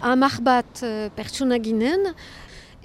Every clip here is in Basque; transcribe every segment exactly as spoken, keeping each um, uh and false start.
Hamar bat uh, pertsona ginen,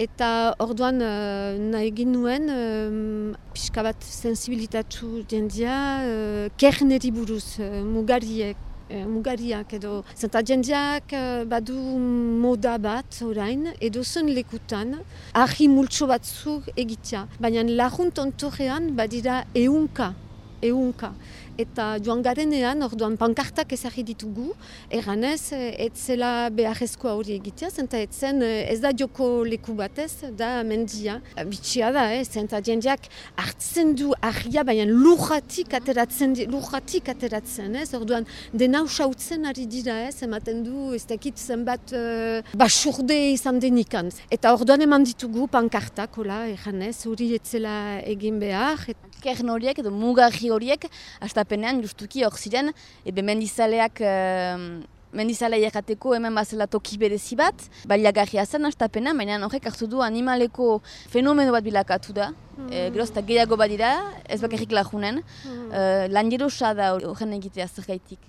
eta orduan uh, nahi ginuen uh, pixka bat sensibilitatu jendia uh, kerneri buruz, uh, mugariek. Mugariak edo, zenta jendeak badu moda bat orain, edo zen lekutan, ahi multso batzuk egitea. Baina lagunt ontorrean badira eunka, eunka. Eta joan garenean, orduan pankartak ezagri ditugu, erranez, ez zela beharrezkoa hori egitea, zenta ez zen, ez da joko leku batez, da mendia. Bitxia da, eh? Zenta jendeak hartzen du ahia, baina lurratik ateratzen, lurratik ateratzen, ez? Orduan, dena usautzen ari dira, ez? Ematen du, ez dakit zenbat uh, basurde izan denikan. Eta orduan eman ditugu pankartak, hola, erranez, hori ez zela egin behar. Kern horiek edo mugarri horiek, astapenean justuki hor ziren, ebe mendizaleak, uh, mendizalea errateko hemen bazela toki berezi bat, baliagarria zen astapenean, baina horrek hartu du animaleko fenomeno bat bilakatu da. Mm. E, geroz eta gehiago badira, ez bakarrik lagunen, mm. uh, lanjerosa da horren egitea zergaitik.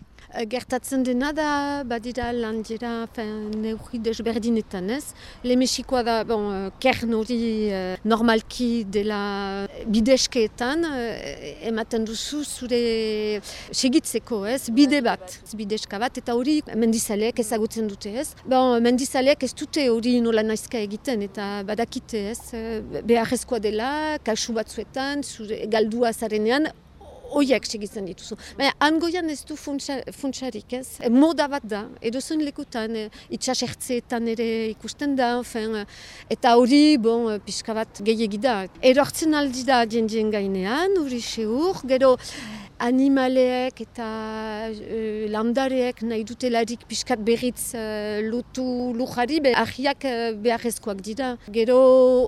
Gertatzen dena da, badira landera neurri desberdinetan, ez? Lemexikoa da, bon, kern hori uh, normalki dela bideskeetan, uh, ematen duzu zure segitzeko, ez? Bide bat, bideska bat, eta hori mendizaleek ezagutzen dute, ez? Bon, mendizaleek ez dute hori nola naizka egiten, eta badakite, ez? Beharrezkoa dela, kasu batzuetan, zure galdua zarenean, oiak segitzen dituzu. Baina, angoian ez du funtsarik, ez? Moda bat da, edo zen lekutan, itxasertzeetan ere ikusten da, fen, eta hori, bon, pixka bat gehiegi da. Erortzen aldi da jendien gainean, hori seur, gero animaleek eta uh, landareek nahi dutelarik pixkat berriz uh, lotu lujari, be ahiak uh, beharrezkoak dira. Gero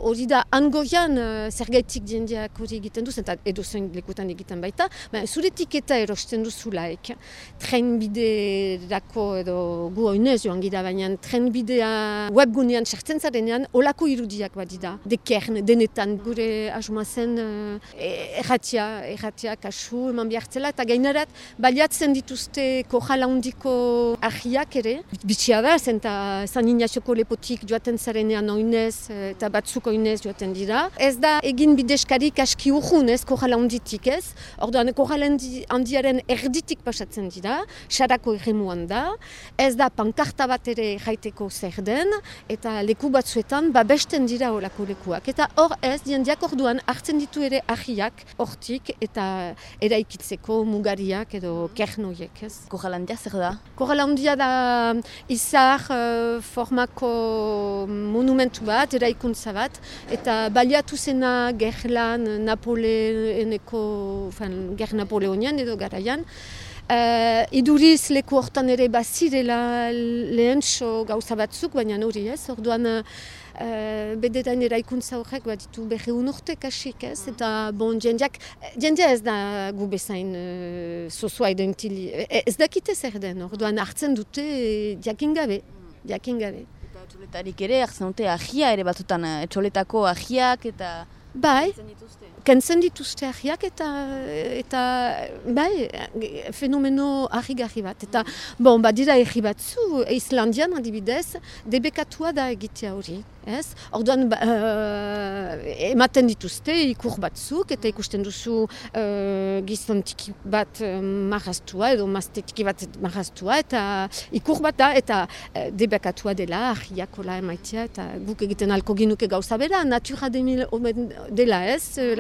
hori da angoian uh, zergaitik jendeak hori egiten duz, eta edo zen lekutan egiten baita, baina zure tiketa erosten duzulaik. Trenbiderako edo gu oinez joan gira, baina trenbidea webgunean sartzen zarenean olako irudiak badira. Dekern, denetan gure asuma zen uh, erratia, erratia kasu eman hartzela, eta gainerat baliatzen dituzte kojala handiko ahiak ere. Bitxia da, zenta San Ignacioko lepotik joaten zarenean oinez eta batzuk oinez joaten dira. Ez da egin bideskarik aski urrun, ez, kojala handitik, ez. Orduan, kojala handiaren erditik pasatzen dira, sarako erremuan da. Ez da pankarta bat ere jaiteko zer den, eta leku batzuetan babesten dira horako lekuak. Eta hor ez, jendeak orduan hartzen ditu ere ahiak hortik eta eraikitzen mugariak edo kernoiek, ez? Korralandia zer da? Korralandia da izar uh, formako monumentu bat, eraikuntza bat, eta baliatu zena gerlan Napoleoneko, ger Napoleonian edo garaian. Uh, iduriz leku hortan ere bazirela lehentxo gauza batzuk, baina hori ez, orduan Uh, bedetan eraikuntza horrek bat ditu berreun urte kasik, ez? Eta bon, jendeak, jendea ez da gu bezain uh, zozoa edo intili. Ez dakite zer den, orduan hartzen dute jakin gabe, jakin gabe. Eta etxoletarik ere hartzen dute ahia ere batzutan, etxoletako ahiak eta... Bai, kentzen dituzte ahiak eta, eta bai, fenomeno ahigarri bat. Eta, bon, badira erri batzu, Islandian adibidez, debekatua da egitea hori. Ez? Orduan, uh, ematen dituzte ikur batzuk, eta ikusten duzu uh, gizon tiki bat uh, marraztua, edo mazte tiki bat marraztua, eta ikur bat da, eta uh, debekatua dela, ahiak hola emaitea, eta guk egiten alko ginuke gauza bera, natura dela ez, uh,